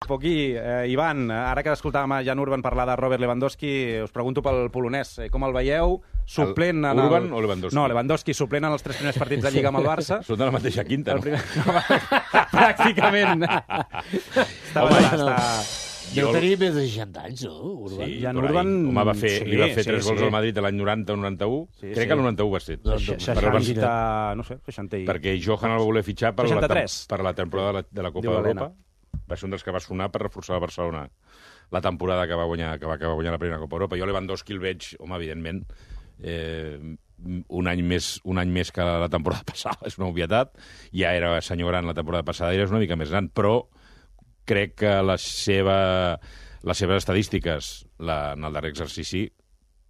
Poquí, Ivan, ara que escoltàvem a Jan Urban parlar de Robert Lewandowski, us pregunto pel polonès. Com el veieu? Suplent en Urban o Lewandowski? No, Lewandowski suplent en els 3 primers partits de Lliga amb el Barça. Són de la mateixa quinta, no? Pràcticament. Deu tenir més de 60 anys, no? Urban? Sí, Jan Urban... Home, li va fer 3 gols al Madrid l'any 90 o 91. Crec que el 91 va ser. 60, no sé, 60 i... Perquè Johan el va voler fitxar per la temporada de la Copa d'Europa. Va ser un dels que va sonar per reforçar el Barcelona la temporada que va guanyar la primera Copa d'Europa. Jo Lewandowski el veig, home, evidentment, un any més que la temporada passada, és una obvietat. Ja era senyor gran la temporada passada, era una mica més gran, però crec que les seves estadístiques en el darrer exercici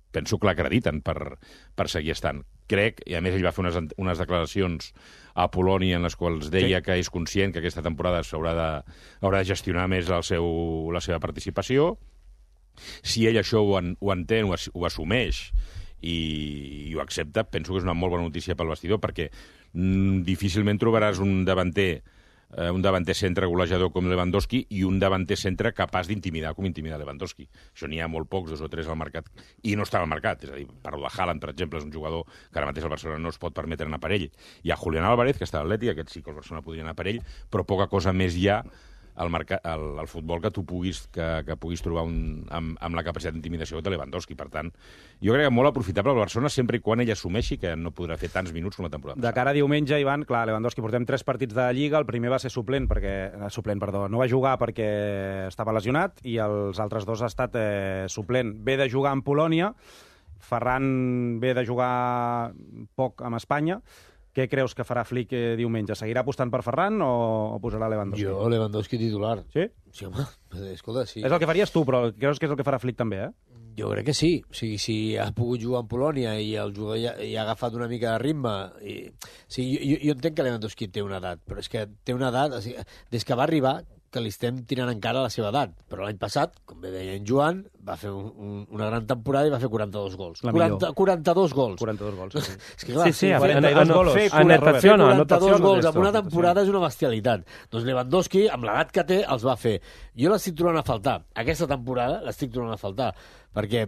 penso que l'acrediten per seguir estant. Crec, i a més ell va fer unes declaracions a Polònia en les quals deia que és conscient que aquesta temporada haurà de gestionar més la seva participació. Si ell això ho entén, ho assumeix i ho accepta, penso que és una molt bona notícia pel vestidor, perquè difícilment trobaràs un davanter centre golejador com Lewandowski i un davanter centre capaç d'intimidar com intimida Lewandowski. Això n'hi ha molt pocs, 2 o 3 al mercat, i no estava al mercat. És a dir, parlo de Haaland, per exemple, és un jugador que ara mateix el Barcelona no es pot permetre anar per ell. Hi ha Julián Álvarez, que està a l'Atlètic, aquest sí que el Barcelona podria anar per ell, però poca cosa més hi ha al futbol que tu puguis trobar amb la capacitat d'intimidació de Lewandowski. Per tant, jo crec que molt aprofitable el Barcelona sempre i quan ell assumeixi que no podrà fer tants minuts com la temporada passada. De cara a diumenge, Ivan, clar, Lewandowski portem 3 partits de Lliga, el primer va ser suplent, no va jugar perquè estava lesionat i els altres 2 ha estat suplent. Ve de jugar amb Polònia, Ferran ve de jugar poc amb Espanya. Què creus que farà Flick diumenge? Seguirà apostant per Ferran o posarà Lewandowski? Jo, Lewandowski titular. Sí? Sí, home, escolta, sí. És el que faries tu, però creus que és el que farà Flick també, Jo crec que sí. O sigui, si ha pogut jugar amb Polònia i el jugador ja ha agafat una mica de ritme... Jo entenc que Lewandowski té una edat, però és que té una edat... O sigui, des que va arribar, que li estem tirant encara la seva edat. Però l'any passat, com bé deia en Joan, va fer una gran temporada i va fer 42 gols. 42 gols. 42 gols, sí. És que clar, sí, 42 gols. Fer 42 gols en una temporada és una bestialitat. Doncs Lewandowski, amb l'edat que té, els va fer. Jo l'estic trobant a faltar. Aquesta temporada l'estic trobant a faltar. Perquè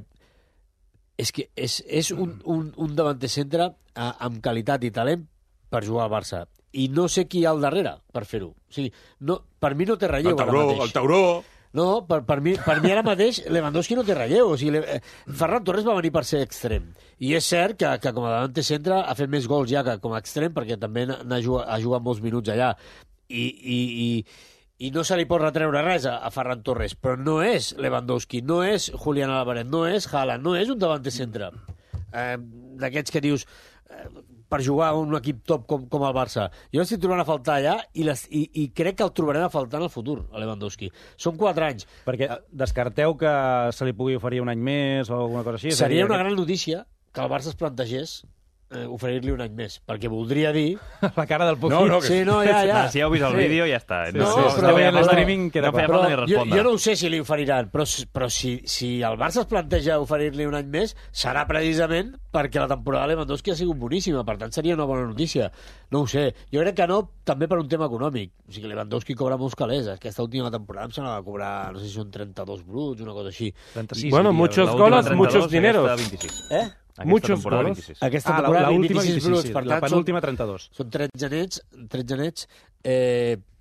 és que és un davanter centre amb qualitat i talent per jugar al Barça. I no sé qui hi ha al darrere per fer-ho. O sigui, per mi no té relleu ara mateix. El Tauró! No, per mi ara mateix Lewandowski no té relleu. O sigui, Ferran Torres va venir per ser extrem. I és cert que com a davanter centre ha fet més gols ja que com a extrem, perquè també ha jugat molts minuts allà. I no se li pot retreure res a Ferran Torres, però no és Lewandowski, no és Julián Álvarez, no és Haaland, no és un davanter centre. D'aquests que dius... per jugar a un equip top com el Barça. Jo l'estic trobant a faltar allà i crec que el trobarem a faltar en el futur, a Lewandowski. Són 4 anys. Perquè descarteu que se li pugui oferir un any més o alguna cosa així? Seria una gran notícia que el Barça es plantegés oferir-li un any més, perquè voldria dir... La cara del Poquí. Sí, ja. Si heu vist el vídeo, ja està. Però l'estreaming queda clar. Jo no ho sé si li oferiran, però si el Barça es planteja oferir-li un any més, serà precisament perquè la temporada de Lewandowski ha sigut boníssima, per tant seria una bona notícia. No ho sé. Jo crec que no, també per un tema econòmic. O sigui, Lewandowski cobra molts calés. Aquesta última temporada em sembla que va cobrar, no sé si són 32 bruts, una cosa així. 36. Bueno, muchos goles, muchos dineros. Muchos goles. Aquesta temporada 26 bruts, per tant, la penúltima 32. Són 13 nets,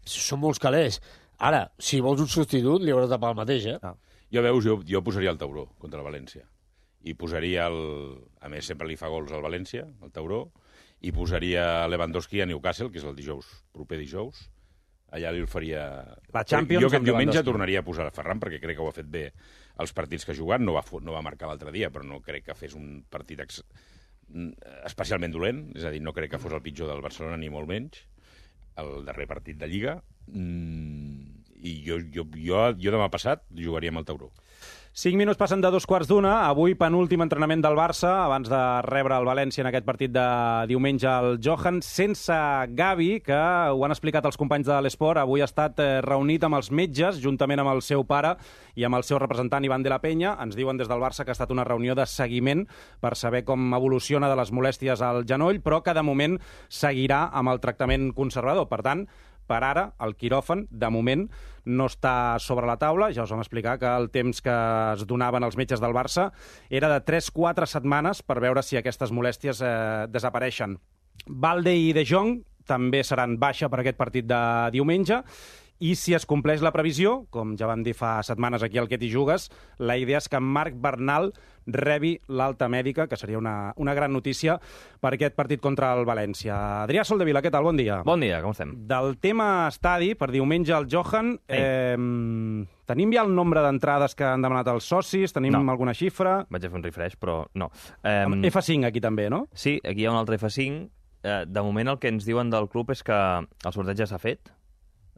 són molts calés. Ara, si vols un substitut, li hauràs de pagar el mateix, Jo posaria el Tauró contra el València. I posaria a més, sempre li fa gols al València, el Tauró, i posaria Lewandowski a Newcastle, que és el proper dijous. Allà li oferia... La Champions. Jo aquest diumenge tornaria a posar a Ferran, perquè crec que ho ha fet bé els partits que ha jugat. No va marcar l'altre dia, però no crec que fes un partit especialment dolent. És a dir, no crec que fos el pitjor del Barcelona, ni molt menys. El darrer partit de Lliga. I jo demà passat jugaria amb el Tauró. 5 minuts passen de 2:15. Avui penúltim entrenament del Barça abans de rebre el València en aquest partit de diumenge al Johan, sense Gavi, que ho han explicat els companys de l'Esport. Avui ha estat reunit amb els metges, juntament amb el seu pare i amb el seu representant Iván de la Peña. Ens diuen des del Barça que ha estat una reunió de seguiment per saber com evoluciona de les molèsties al genoll, però que de moment seguirà amb el tractament conservador. Per tant, per ara, el quiròfan, de moment, no està sobre la taula. Ja us vam explicar que el temps que es donaven els metges del Barça era de 3-4 setmanes per veure si aquestes molèsties desapareixen. Balde i De Jong també seran baixa per aquest partit de diumenge, i si es compleix la previsió, com ja vam dir fa setmanes aquí al Que t'hi jugues, la idea és que Marc Bernal rebi l'alta mèdica, que seria una gran notícia per aquest partit contra el València. Adrià Soldevila, què tal? Bon dia. Bon dia, com estem? Del tema estadi, per diumenge al Johan, tenim ja el nombre d'entrades que han demanat els socis? Tenim alguna xifra? Vaig a fer un refresh, però no. F5 aquí també, no? Sí, aquí hi ha un altre F5. De moment el que ens diuen del club és que el sorteig ja s'ha fet.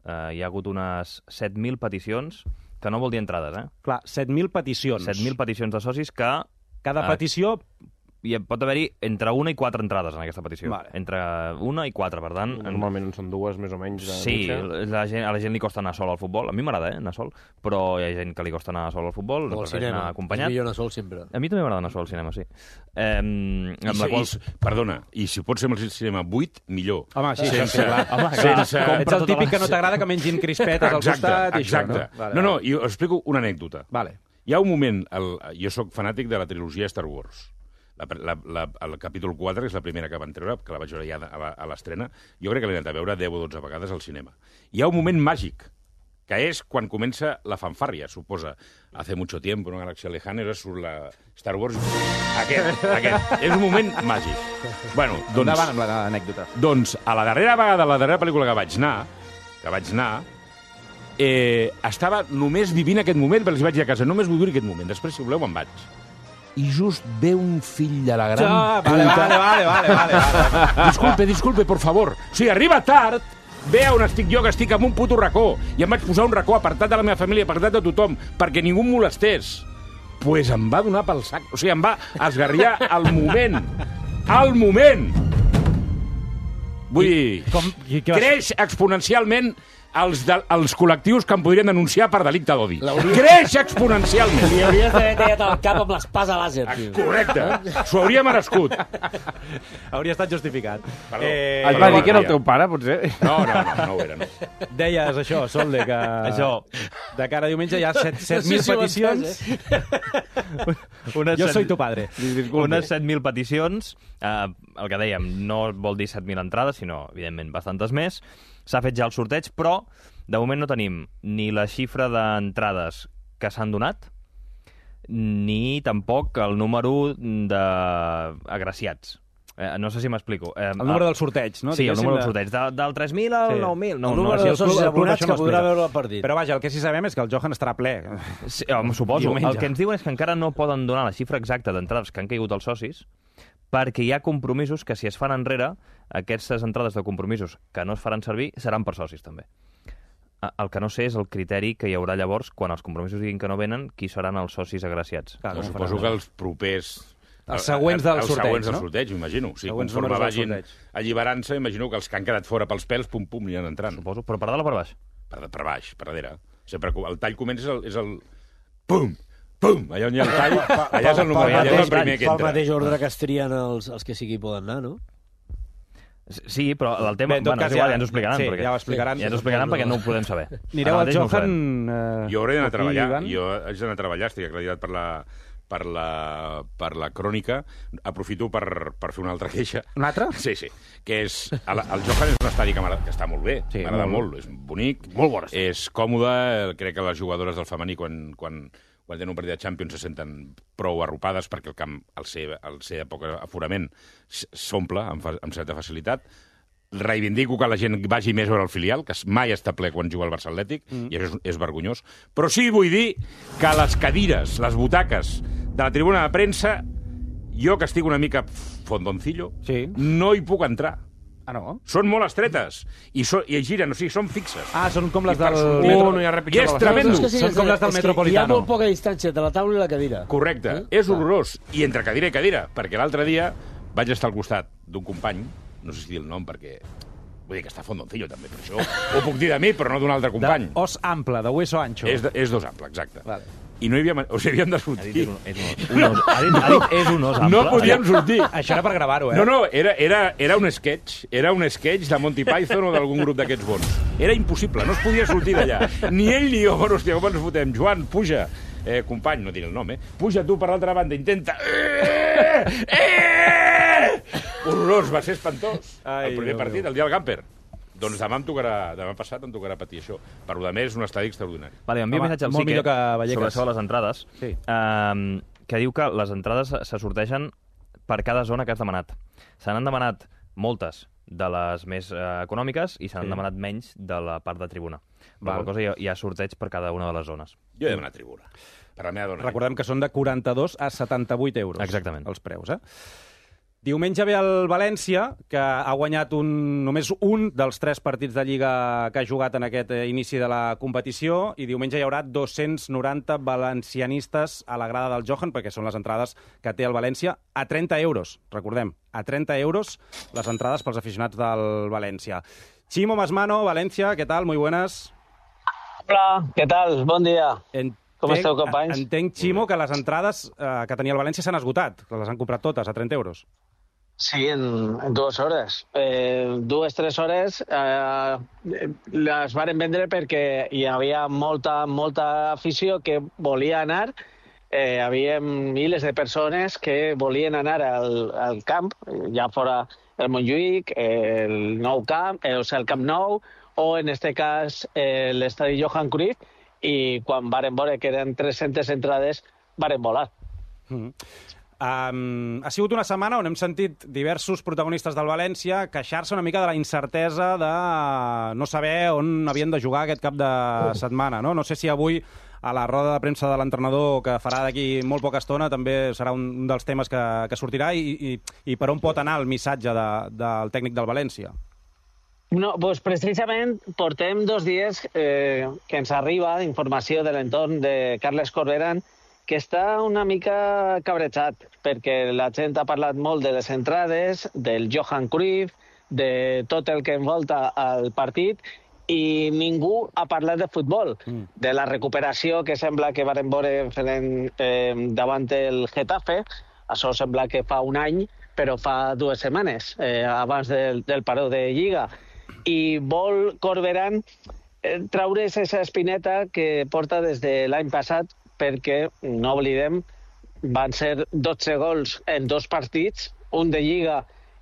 Hi ha hagut unes 7.000 peticions, que no vol dir entrades, Clar, 7.000 peticions. 7.000 peticions de socis que... Cada petició... Hi pot haver-hi entre 1 i 4 entrades en aquesta petició. Vale. Entre 1 i 4, per tant... Normalment en són 2, més o menys. Sí, a la gent li costa anar sol al futbol. A mi m'agrada, anar sol. Però hi ha gent que li costa anar sol al futbol. O al cinema. Acompanyat. És millor anar sol sempre. A mi també m'agrada anar sol al cinema, sí. Perdona, i si pot ser amb el cinema buit, millor. Home, sí, sense, clar. Ets el típic que no t'agrada que mengin crispetes al costat i això, no? Vale. No, i us explico una anècdota. Vale. Hi ha un moment, jo sóc fanàtic de la trilogia Star Wars. El capítol 4, que és la primera que van treure, que la vaig veure ja a l'estrena, jo crec que l'he anat a veure 10 o 12 vegades al cinema. Hi ha un moment màgic, que és quan comença la fanfàrria, suposa. Hace mucho tiempo, una galaxia lejana, surt la Star Wars. Aquest. És un moment màgic. Bueno, doncs... Endavant amb l'anècdota. Doncs, a la darrera vegada, la darrera pel·lícula que vaig anar, estava només vivint aquest moment, perquè els vaig dir a casa, només vull viure aquest moment, després, si voleu, me'n vaig. I just ve un fill de la gran puta... Vale. Disculpe, por favor. O sigui, arriba tard, ve on estic jo, que estic en un puto racó, i em vaig posar un racó apartat de la meva família, apartat de tothom, perquè ningú em molestés. Pues em va donar pel sac. O sigui, em va esgarriar al moment. Al moment! Vull dir, creix exponencialment els col·lectius que em podrien denunciar per delicte d'odi. Creix exponencialment. Li hauries d'haver tallat el cap amb l'espasa làser, tio. Correcte. S'ho hauria merescut. Hauria estat justificat. Et va dir que era el teu pare, potser? No ho era, no. Deies això, Solde, que de cara a diumenge hi ha 7.000 peticions. Jo soy tu padre. Unes 7.000 peticions. El que dèiem, no vol dir 7.000 entrades, sinó, evidentment, bastantes més. S'ha fet ja el sorteig, però de moment no tenim ni la xifra d'entrades que s'han donat, ni tampoc el número d'agraciats. No sé si m'explico. El número del sorteig, no? Sí, el número del sorteig. Del 3.000 al 9.000. El número de socis abonats que podrà veure el partit. Però vaja, el que sí sabem és que el Johan estarà ple. Sí, suposo. El que ens diuen és que encara no poden donar la xifra exacta d'entrades que han caigut els socis, perquè hi ha compromisos que, si es fan enrere, aquestes entrades de compromisos que no es faran servir seran per socis, també. El que no sé és el criteri que hi haurà llavors, quan els compromisos diguin que no venen, qui seran els socis agraciats. Clar, suposo que els propers... Els següents del sorteig, no? Els següents del sorteig, m'imagino. O sigui, conforme vagin alliberant-se, imagino que els que han quedat fora pels pèls, pum, aniran entrant. Suposo, però per dalt o per baix? Per baix, per darrere. Sempre el tall comença és el... Pum! Pum! Allà on hi ha el tall, allà és el número, allà és el primer que entra. Pel mateix ordre que es trien els que sí que hi poden anar, no? Sí, però el tema... Bé, és igual, ja ens ho explicaran. Sí, ja ho explicaran. Ja ens ho explicaran perquè no ho podem saber. Anireu al Johan... Jo hauré d'anar a treballar. Jo haig d'anar a treballar, estic acreditat per la crònica. Aprofito per fer una altra queixa. Una altra? Sí. Que és... El Johan és un estadi que està molt bé. M'agrada molt. És bonic. Molt bon estadi. És còmode. Crec que les jugadores del femení, quan tenen un partit de Champions, se senten prou arropades perquè el camp, al ser de poc aforament, s'omple amb certa facilitat. Reivindico que la gent vagi més a veure el filial, que mai està ple quan juga el Barça Atlètic, i això és vergonyós. Però sí vull dir que les cadires, les butaques de la tribuna de premsa, jo que estic una mica fondoncillo, no hi puc entrar. Ah, no? Són molt estretes i giren, o sigui, són fixes. Ah, són com les del metro. I és tremendo. Són com les del Metropolitano. Hi ha molt poca distància entre la taula i la cadira. Correcte. És horrorós. I entre cadira i cadira, perquè l'altre dia vaig estar al costat d'un company, no sé si dir el nom perquè... Vull dir que està fondoncillo, també, per això. Ho puc dir de mi, però no d'un altre company. Os ample, de hueso ancho. És d'os ample, exacte. Vale. i no hi havia... O sigui, havíem de sortir. Ha dit és un os ample. No podíem sortir. Això era per gravar-ho, No, era un sketch. Era un sketch de Monty Python o d'algun grup d'aquests bons. Era impossible, no es podia sortir d'allà. Ni ell ni jo. Bueno, hòstia, com ens fotem? Joan, puja. Company, no tinc el nom, Puja tu per l'altra banda, intenta... Horrorós, va ser espantós. El primer partit, el dia del Gamper. Doncs demà passat em tocarà patir això. Per lo de més, és un estadi extraordinari. Vale, envio un missatge al Sique sobre això de les entrades, que diu que les entrades se sortegen per cada zona que has demanat. Se n'han demanat moltes de les més econòmiques i se n'han demanat menys de la part de tribuna. Per qual cosa hi ha sorteig per cada una de les zones. Jo he demanat tribuna. Per la meva dona. Recordem que són de 42 a 78 euros. Exactament. Els preus, Diumenge ve el València, que ha guanyat només un dels 3 partits de Lliga que ha jugat en aquest inici de la competició, i diumenge hi haurà 290 valencianistes a la grada del Johan, perquè són les entrades que té el València, a 30 euros, recordem, a 30 euros les entrades pels aficionats del València. Chimo Masmano, València, què tal? Muy buenas. Hola, què tal? Bon dia. Com esteu, companys? Entenc, Chimo, que les entrades que tenia el València s'han esgotat, que les han comprat totes a 30 euros. Sí, en 2 hores. 2-3 hores les varen vendre perquè hi havia molta afició que volia anar. Hi havia milers de persones que volien anar al camp, ja fora el Montjuïc, el Nou Camp, o sigui, el Camp Nou, o en aquest cas l'estadi Johan Cruyff, i quan varen veure que eren 300 entrades, varen volar. Ha sigut una setmana on hem sentit diversos protagonistes del València queixar-se una mica de la incertesa de no saber on havien de jugar aquest cap de setmana. No sé si avui, a la roda de premsa de l'entrenador que farà d'aquí molt poca estona, també serà un dels temes que sortirà, i per on pot anar el missatge del tècnic del València. No, doncs precisament portem 2 dies que ens arriba informació de l'entorn de Carles Corberán, que està una mica cabrejat, perquè la gent ha parlat molt de les entrades, del Johan Cruyff, de tot el que envolta el partit, i ningú ha parlat de futbol, de la recuperació que sembla que varen veure davant el Getafe. Això sembla que fa un any, però fa 2 setmanes, abans del paró de Lliga. I vol Corberán traure's aquesta espineta que porta des de l'any passat, perquè, no oblidem, van ser 12 gols en 2 partits, un de Lliga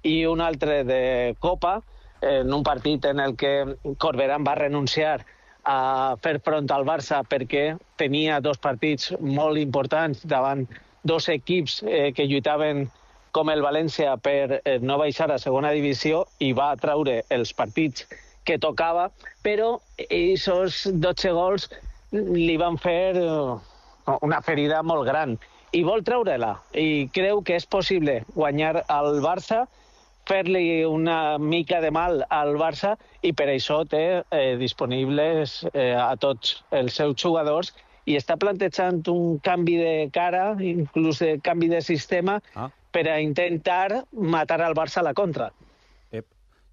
i un altre de Copa, en un partit en el que Corberán va renunciar a fer front al Barça perquè tenia 2 partits molt importants davant 2 equips que lluitaven com el València per no baixar a segona divisió, i va traure els partits que tocava, però aquests 12 gols li van fer una ferida molt gran, i vol treure-la, i creu que és possible guanyar al Barça, fer-li una mica de mal al Barça, i per això té disponibles a tots els seus jugadors, i està plantejant un canvi de cara, inclús de canvi de sistema, per a intentar matar al Barça a la contra.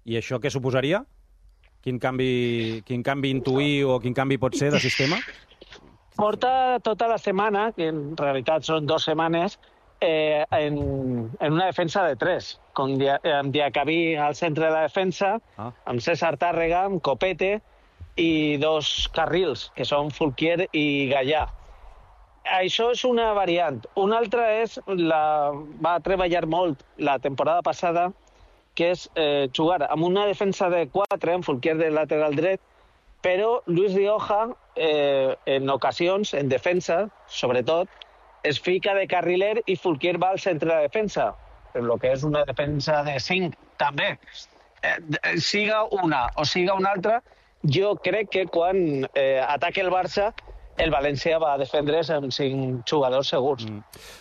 I això què suposaria? Quin canvi intuir o quin canvi pot ser de sistema? Porta tota la setmana, que en realitat són 2 setmanes, en una defensa de 3, amb Diacabí al centre de la defensa, amb César Tàrrega, amb Copete, i 2 carrils, que són Fulquier i Gallà. Això és una variant. Una altra va treballar molt la temporada passada, que és jugar amb una defensa de 4, amb Fulquier de lateral dret, però Luis Rioja, en ocasions, en defensa, sobretot, es fica de carriler i Fulquier va al centre de defensa, per lo que és una defensa de 5, també. Siga una o siga una altra, jo crec que quan ataque el Barça, el València va defendre's amb 5 jugadors segurs.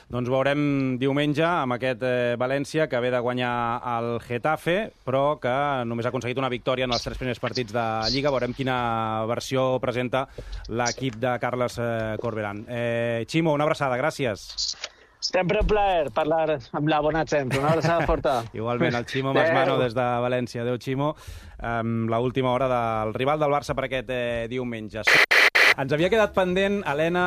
Doncs veurem diumenge amb aquest València que ve de guanyar el Getafe, però que només ha aconseguit una victòria en els 3 primers partits de Lliga. Veurem quina versió presenta l'equip de Carles Corberán. Chimo, una abraçada, gràcies. Sempre un plaer parlar amb la bona gent. Una abraçada forta. Igualment, el Chimo Masmano des de València. Adéu, Chimo. L'última hora del rival del Barça per aquest diumenge. Ens havia quedat pendent, Helena,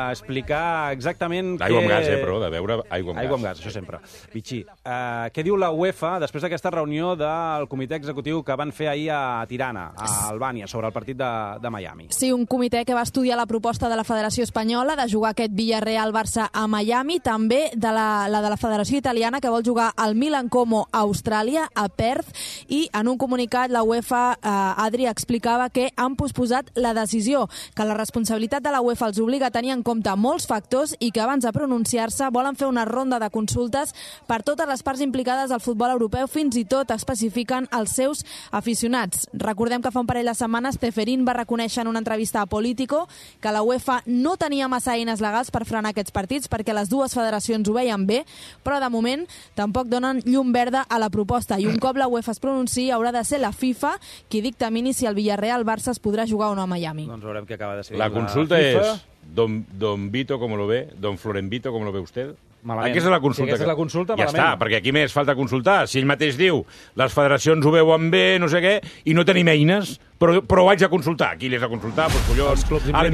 a explicar exactament Aigua amb gas, però, de beure aigua amb gas. Aigua amb gas, això sempre. Vichy, què diu la UEFA després d'aquesta reunió del comitè executiu que van fer ahir a Tirana, a Albània, sobre el partit de Miami? Sí, un comitè que va estudiar la proposta de la Federació Espanyola de jugar aquest Villarreal-Barça a Miami, també de la de la Federació Italiana, que vol jugar al Milan Como a Austràlia, a Perth, i en un comunicat la UEFA, Adri, explicava que han posposat la decisió, que la responsabilitat de la UEFA els obliga a tenir en compte molts factors i que abans de pronunciar-se volen fer una ronda de consultes per totes les parts implicades al futbol europeu, fins i tot especifiquen els seus aficionats. Recordem que fa un parell de setmanes Ceferín va reconèixer en una entrevista a Político que la UEFA no tenia massa eines legals per frenar aquests partits perquè les dues federacions ho veien bé, però de moment tampoc donen llum verda a la proposta i un cop la UEFA es pronunciï haurà de ser la FIFA qui dictamini si el Villarreal-Barça es podrà jugar o no a Miami. Doncs veurem què acaba de decidir la consulta FIFA. Don Vito, ¿cómo lo ve? Don Florenvito, ¿cómo lo ve usted? Malament. Aquesta és la consulta. Si aquesta és la consulta, ja malament. està, perquè aquí més falta consultar. Si ell mateix diu, les federacions ho veuen bé, no sé què, i no tenim eines, però ho haig de consultar. Qui li has de consultar? Pues collons, a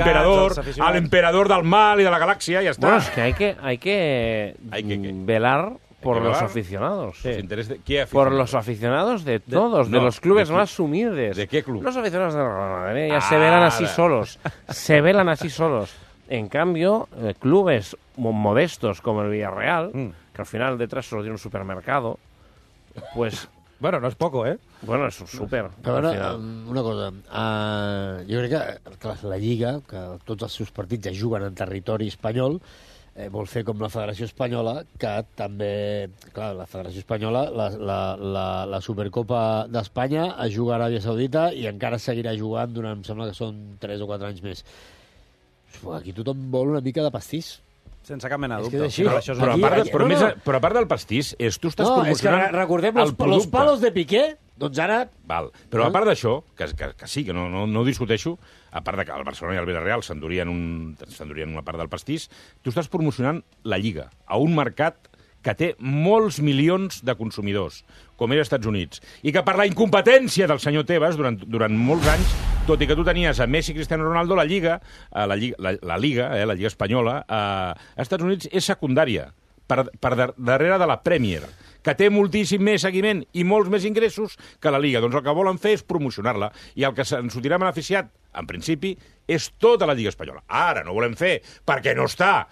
l'emperador del mal i de la galàxia, ja està. Bueno, es que hay que velar por los aficionados. Sí. ¿Qué aficionados? Por los aficionados de todos, de los clubes más humildes. ¿De qué club? Los aficionados de Real Madrid ya se velan así solos. Se velan así solos. En cambio, clubes modestos como el Villarreal, que al final detrás solo tiene un supermercado, pues... Bueno, no és poco, eh? Bueno, és súper. Però ara, una cosa, jo crec que la Lliga, que tots els seus partits ja juguen en territori espanyol, vol fer com la Federació Espanyola, que també... Clar, la Federació Espanyola, la Supercopa d'Espanya es juga a Aràbia Saudita i encara seguirà jugant durant, em sembla que són 3 o 4 anys més. Aquí tothom vol una mica de pastís. Sense cap mena de dubte. Però a part del pastís, tu estàs promocionant... No, és que recordem los palos de Piqué, doncs ara... Val. Però a part d'això, que sí, que no ho discuteixo, a part que el Barcelona i el Villarreal s'endurien una part del pastís, tu estàs promocionant la Lliga a un mercat que té molts milions de consumidors, com és als Estats Units, i que per la incompetència del senyor Tebas, durant molts anys, tot i que tu tenies a Messi i Cristiano Ronaldo, la Lliga Espanyola, als Estats Units és secundària, per darrere de la Premier, que té moltíssim més seguiment i molts més ingressos que la Lliga. Doncs el que volen fer és promocionar-la, i el que se'n sortirà beneficiat, en principi, és tota la Lliga Espanyola. Ara no ho volem fer, perquè no està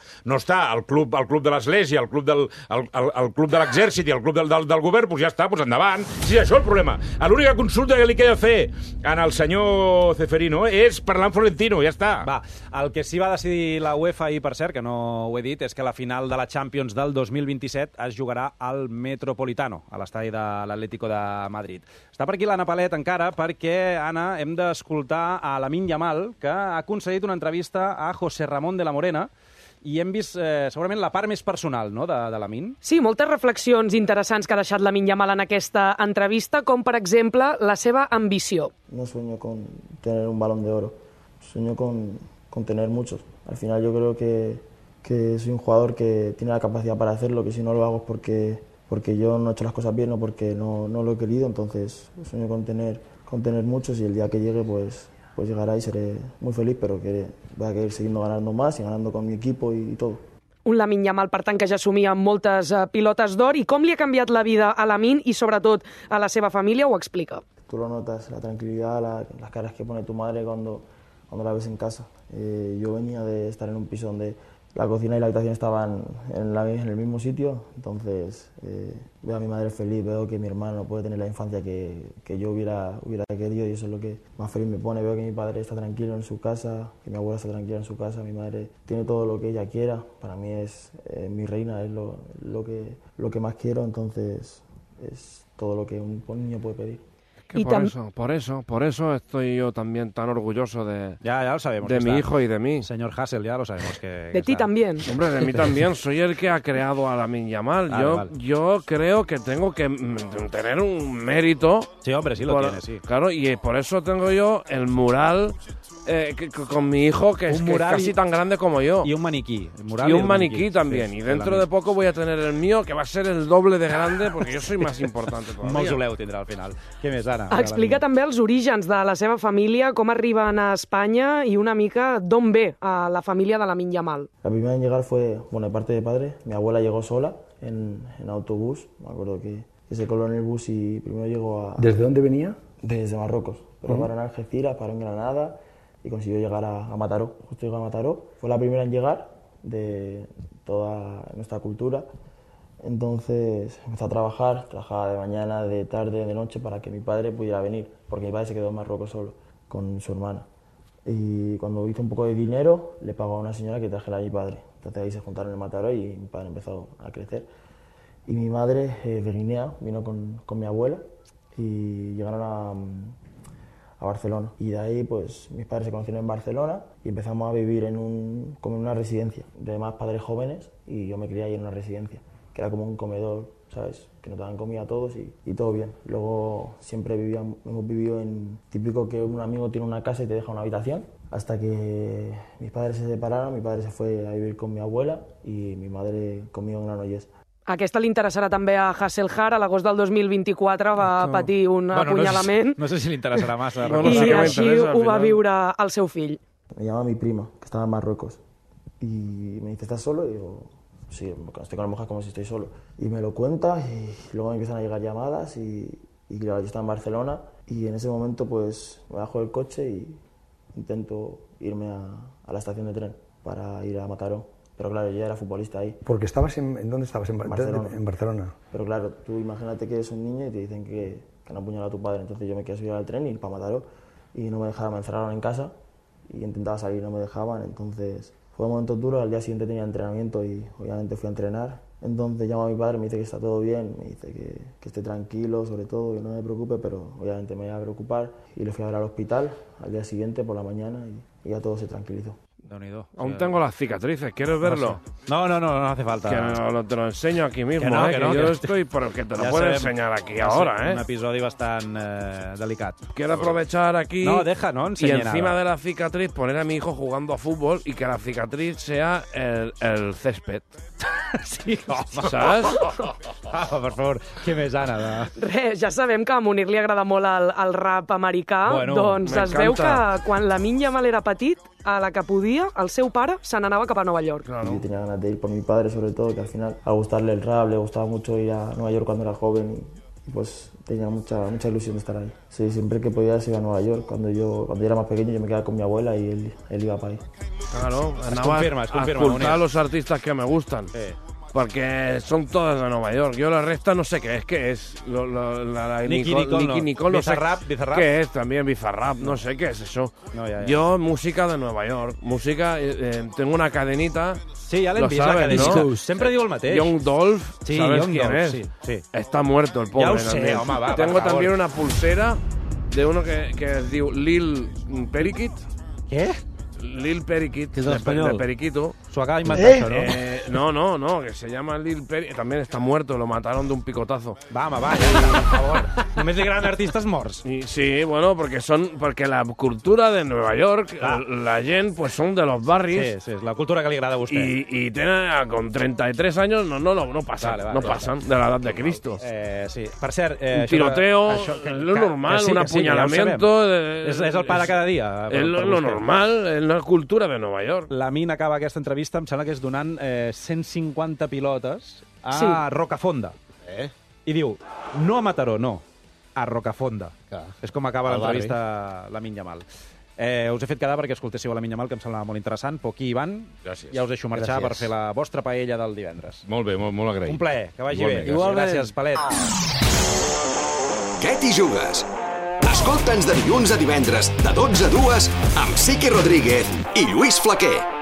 el club de l'Església, el club de l'Exèrcit i el club del govern, doncs ja està, doncs endavant. Si és això el problema. L'única consulta que li queda fer al senyor Ceferino és parlar amb Florentino, ja està. Va, el que sí va decidir la UEFA ahir, per cert, que no ho he dit, és que la final de la Champions del 2027 es jugarà al Metropolitano, a l'estadi de l'Atlético de Madrid. Està per aquí l'Anna Palet encara, perquè, Anna, hem d'escoltar a Lamine Yamal, que ha concedit una entrevista a José Ramón de la Morena, i hem vist segurament la part més personal, no?, de Lamine. Sí, moltes reflexions interessants que ha deixat Lamine Yamal en aquesta entrevista, com per exemple la seva ambició. No sueño con tener un balón de oro, sueño con tener muchos. Al final yo creo que soy un jugador que tiene la capacidad para hacerlo, que si no lo hago es porque yo no he hecho las cosas bien o porque no lo he querido, entonces sueño con tener muchos, y el día que llegue pues llegará y seré muy feliz, pero que voy a querer siguiendo ganando más y ganando con mi equipo y todo. Un Lamine Yamal, per tant, que ja assumia moltes pilotes d'or. I com li ha canviat la vida a Lamine i, sobretot, a la seva família, ho explica. Tú lo notas, la tranquilidad, las caras que pone tu madre cuando la ves en casa. Yo venía de estar en un piso donde la cocina y la habitación estaban en el mismo sitio, entonces veo a mi madre feliz, veo que mi hermano puede tener la infancia que yo hubiera querido, y eso es lo que más feliz me pone. Veo que mi padre está tranquilo en su casa, que mi abuela está tranquila en su casa, mi madre tiene todo lo que ella quiera. Para mí es mi reina, es lo que más quiero, entonces es todo lo que un niño puede pedir. Que por eso estoy yo también tan orgulloso de lo sabemos, de mi hijo y de mí. Señor Hassel, ya lo sabemos que de ti también. Hombre, de mí también. Soy el que ha creado a Lamine Yamal. Yo creo que tengo que tener un mérito. Sí, hombre, sí lo tiene, sí. Claro, y por eso tengo yo el mural con mi hijo, que es casi tan grande como yo. Y un maniquí. Y un maniquí también. Sí, y dentro de poco voy a tener el mío, que va a ser el doble de grande, porque yo soy más importante todavía. Un mausoleu tindrà al final. Què més, Ara? Anna. Explica també els orígens de la seva família, com arriben a Espanya y una mica d'on ve a la familia de Lamine Yamal. La primera en llegar fue, bueno, de parte de padre. Mi abuela llegó sola en autobús. Me acuerdo que se coló en el bus y primero llegó a... ¿Desde dónde venía? Desde Marruecos. Pero paró en Algeciras, paró en Granada y consiguió llegar a Mataró. Justo llegó a Mataró. Fue la primera en llegar de toda nuestra cultura. Entonces empezó a trabajar, trabajaba de mañana, de tarde, de noche para que mi padre pudiera venir, porque mi padre se quedó en Marruecos solo con su hermana. Y cuando hizo un poco de dinero, le pagó a una señora que trajera a mi padre. Entonces ahí se juntaron en Mataró y mi padre empezó a crecer. Y mi madre, de Guinea, vino con mi abuela y llegaron a Barcelona. Y de ahí, pues, mis padres se conocieron en Barcelona y empezamos a vivir como en una residencia de más padres jóvenes, y yo me crié ahí en una residencia, que era como un comedor, ¿sabes? Que nos daban comida a todos y todo bien. Luego siempre hemos vivido en típico que un amigo tiene una casa y te deja una habitación, hasta que mis padres se separaron, mi padre se fue a vivir con mi abuela y mi madre conmigo en Granollers. Aquesta li interessarà també a Hasselhar. A l'agost del 2024 va patir un apunyalament. No sé si li interessarà massa. I així ho va viure el seu fill. Me llama mi prima, que estaba en Marruecos, y me dice, ¿estás solo? Y digo, sí, estoy con la mujer como si estoy solo. Y me lo cuenta y luego me empiezan a llegar llamadas y claro, yo estaba en Barcelona y en ese momento pues me bajo del coche y intento irme a la estación de tren para ir a Mataró. Pero claro, yo ya era futbolista ahí. Porque estabas ¿en dónde estabas? Barcelona. En Barcelona. Pero claro, tú imagínate que eres un niño y te dicen que han apuñalado a tu padre. Entonces yo me quería subir al tren y ir para Mataró y no me dejaban, me encerraron en casa y intentaba salir, no me dejaban. Entonces fue un momento duro. Al día siguiente tenía entrenamiento y obviamente fui a entrenar. Entonces llamo a mi padre, me dice que está todo bien, me dice que esté tranquilo, sobre todo, que no me preocupe, pero obviamente me iba a preocupar. Y le fui a ver al hospital al día siguiente por la mañana y ya todo se tranquilizó. Aún tengo las cicatrices, ¿quieres verlo? No hace falta. Que te lo enseño aquí mismo, que no, yo estoy, pero que te lo puedo enseñar aquí ahora, Un episodi bastant delicat. Quiero aprovechar aquí no y encima de la cicatriz poner a mi hijo jugando a fútbol y que la cicatriz sea el césped. Sí, home. Saps? Per favor, què més, Anna? Res, ja sabem que a Munir li agrada molt el rap americà, doncs es veu que quan Lamine Yamal era petit, a la que podia, el seu pare se n'anava cap a Nova York. Claro. Yo tenía ganas de ir por mi padre, sobre todo, que al final, al gustarle el rap, le gustaba mucho ir a Nueva York cuando era joven y pues tenía mucha ilusión de estar ahí. Sí, siempre que podía se iba a Nueva York. Cuando yo era más pequeño yo me quedaba con mi abuela y él iba para ahí. Claro, andaba a escuchar a los artistas que me gustan. Porque son todas de Nueva York. Yo la resta no sé qué es. ¿Qué es? Nicky Nicole, no sé qué es también. Bizarrap, no sé qué es eso. No, ya. Yo, música de Nueva York. Música, tengo una cadenita. Sí, ja l'hem vist, la cadenita. ¿No? Sempre diu el mateix. Young Dolph, sí, ¿sabes Young quién Dolph, es? Sí. Está muerto el pobre. Ya lo sé, home, va, tengo también una pulsera de uno que diu Lil Periquit. ¿Qué? Lil Periquit, que es de Periquito. Su acaba de inventar, ¿no? No, que se llama Lil Periquit. También está muerto, lo mataron de un picotazo. Va, por favor. Només li agraden artistes morts. Sí, bueno, porque la cultura de Nueva York, la gent, pues son de los barris. Sí, és la cultura que li agrada a vostè. Y tienen, con 33 años, no pasan, pasan de la edad de Cristo. Sí, per cert... un tiroteo, lo normal, un apuñalamiento... És el pa de cada dia. És lo normal, és la cultura de Nova York. Lamine acaba aquesta entrevista, em sembla que és donant 150 pilotes a Rocafonda. I diu, no a Mataró, no, a Rocafonda. És com acaba l'entrevista Lamine Yamal. Us he fet quedar perquè escoltéssiu a Lamine Yamal, que em semblava molt interessant. Poquí, Ivan, ja us deixo marxar per fer la vostra paella del divendres. Molt bé, molt agraït. Un plaer, que vagi bé. Gràcies, Palet. Què t'hi jugues? Escolta'ns de dilluns a divendres, de 12 a 2, amb Sique Rodríguez i Lluís Flaquer.